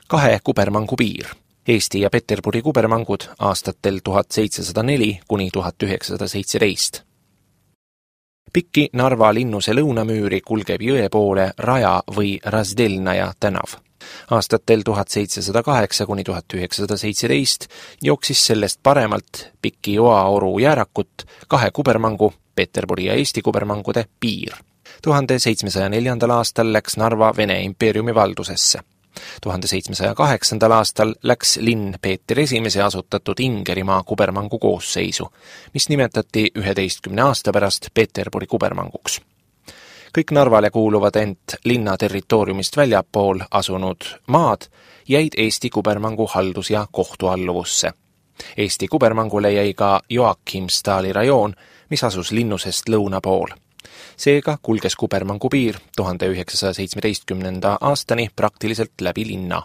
2 kubermangu piir. Eesti ja Peterburi kubermangud aastatel 1704 kuni 1917. Pikki Narva linnuse lõunamüüri kulgeb jõe poole Raja või Razdelnaja tänav. Aastatel 1708 kuni 1917 jooksis sellest paremalt Pikki Joaoru jäärakut 2 kubermangu, Peterburi ja Eesti kubermangude piir. 1704. aastal läks Narva Vene impeeriumi valdusesse. 1708. aastal läks linn Peeter I asutatud Ingerimaa kubermangu koosseisu, mis nimetati 11 aasta pärast Peterburi kubermanguks. Kõik Narvale kuuluvad ent linna territooriumist väljapool asunud maad jäid Eesti kubermangu haldus- ja kohtualluvusse. Eesti kubermangule jäi ka Joakimstali rajoon, mis asus linnusest lõuna pool. Seega kulges kubermangu piir 1917. aastani praktiliselt läbi linna.